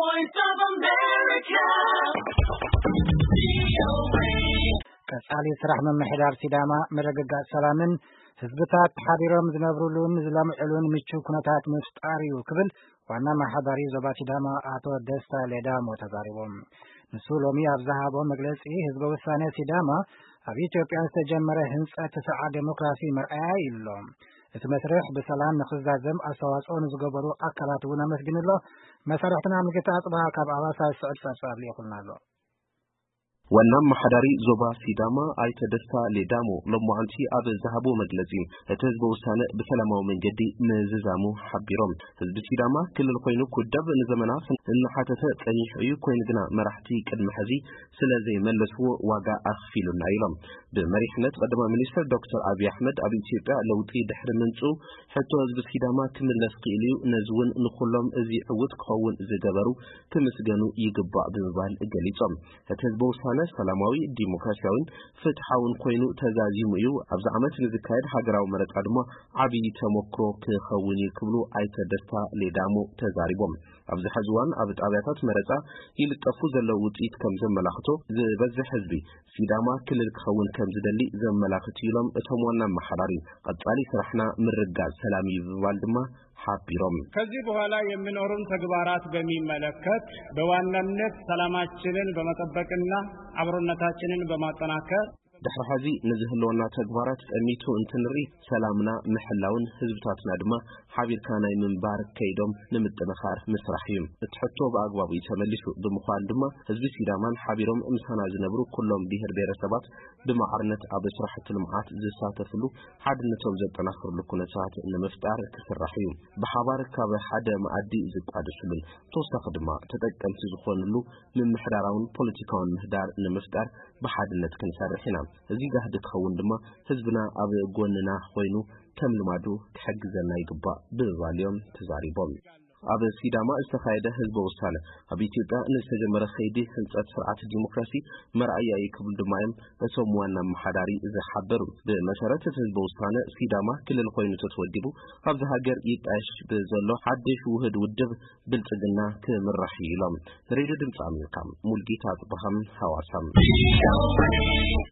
Voice of America. ቀጻሊ ስራሕ ምምሕዳር ሲዳማ ምርግጋጽ ሰላምን ህዝብታት ሓቢሮም ዝነብሩሉን ዝለምዕሉን ምቹ ኩነታት ምፍጣር እዩ ክብል ዋና ኣመሓዳሪ ዞባ ሲዳማ ኣቶ ደስታ ሌዳሞ ተዛሪቦም። ንሱ ሎሚ ኣብ ዝሃቦ መግለጺ፣ ህዝበ ውሳነ ሲዳማ ኣብ ኢትዮጵያ ዝተጀመረ ህንጸት ስርዓት ዴሞክራሲ መርኣያ እዩ ኣሎ። እቲ መስርሕ ብሰላም ንኽዛዘም ኣስተዋጽኦ ንዝገበሩ ኣካላት እውን ኣመስጊኑ ኣሎ። መሳርሕትና ምልክታ ኣጽብሃ ካብ ኣዋሳ ዝስዕብ ጸብጻብ ልኢኹልና ኣሎ። ዋና ኣመሓዳሪ ዞባ ሲዳማ ኣይተ ደስታ ሌዳሞ ሎማዓንቲ ኣብ ዝሃቦ መግለጺ፣ እቲ ህዝበ ውሳነ ብሰላማዊ መንገዲ ምዝዛሙ ሓቢሮም። ህዝቢ ሲዳማ ክልል ኮይኑ ክውደብ ንዘመናት እናሓተተ ጸኒሑ እዩ። ኮይኑ ግና መራሕቲ ቅድሚ ሕዚ ስለ ዘይመለስዎ ዋጋ ኣኽፊሉና ኢሎም። ብመሪሕነት ቀዳማይ ሚኒስትር ዶክተር ኣብይ ኣሕመድ ኣብ ኢትዮጵያ ለውጢ ድሕሪ ምምፅኡ ሕቶ ህዝቢ ሲዳማ ክምለስ ክኢሉ እዩ። ነዚ እውን ንኩሎም እዚ ዕውት ክኸውን ዝገበሩ ክምስገኑ ይግባእ ብምባል ገሊጾም። እቲ ህዝበ ውሳነ ሰላማዊ፣ ዲሞክራሲያዊን ፍትሓውን ኮይኑ ተዛዚሙ እዩ። ኣብዚ ዓመት ንዝካየድ ሃገራዊ መረጻ ድማ ዓብዪ ተመክሮ ክኸውን እዩ ክብሉ ኣይተ ደስታ ሌዳሞ ተዛሪቦም። ኣብዚ ሕዚ እዋን ኣብ ጣብያታት መረጻ ይልጠፉ ዘለዉ ውጽኢት ከም ዘመላኽቶ፣ ዝበዝሕ ህዝቢ ሲዳማ ክልል ክኸውን ከም ዝደሊ ዘመላኽት እዩ ኢሎም እቶም ዋና ኣመሓዳሪ። ቀጻሊ ስራሕና ምርጋጽ ሰላም እዩ ብምባል ድማ ሓቢሮም። ከዚህ በኋላ የሚኖሩን ተግባራት በሚመለከት በዋናነት ሰላማችንን በመጠበቅና አብሮነታችንን በማጠናከር ድሕሪ ሕዚ ንዝህልወና ተግባራት ጠሚቱ እንትንርኢ፣ ሰላምና ምሕላውን ህዝብታትና ድማ ሓቢርካ ናይ ምንባር ከይዶም ንምጥንኻር ምስራሕ እዩ። እቲ ሕቶ ብኣግባቡ እዩ ተመሊሱ ብምዃን ድማ፣ ህዝቢ ሲዳማን ሓቢሮም ምሳና ዝነብሩ ኩሎም ብሄር ብሄረሰባት ብማዕርነት ኣብ ስራሕቲ ልምዓት ዝሳተፍሉ፣ ሓድነቶም ዘጠናኽርሉ ኩነታት ንምፍጣር ክስራሕ እዩ። ብሓባር ካብ ሓደ መኣዲ ዝቋደስሉን ተወሳኺ ድማ ተጠቀምቲ ዝኾንሉ ምምሕዳራውን ፖለቲካውን ምህዳር ንምፍጣር ብሓድነት ክንሰርሕ ኢና። እዚ ጋህዲ ክኸውን ድማ ህዝብና ኣብ ጎንና ኮይኑ ከም ልማዱ ክሕግዘና ይግባእ ብምባል እዮም ተዛሪቦም። ኣብ ሲዳማ ዝተኻየደ ህዝበ ውሳነ ኣብ ኢትዮጵያ ንዝተጀመረ ከይዲ ህንፀት ስርዓት ዲሞክራሲ መርኣያ እዩ ክብሉ ድማ እዮም እቶም ዋና ኣመሓዳሪ ዝሓበሩ። ብመሰረት እቲ ህዝበ ውሳነ ሲዳማ ክልል ኮይኑ ተተወዲቡ ኣብዚ ሃገር ይጣየሽ ብዘሎ ሓድሽ ውህድ ውድብ ብልጽግና ክምራሕ እዩ ኢሎም። ሬድዮ ድምፂ ኣሜሪካ፣ ሙልጌታ ኣፅበሃም፣ ሃዋሳም።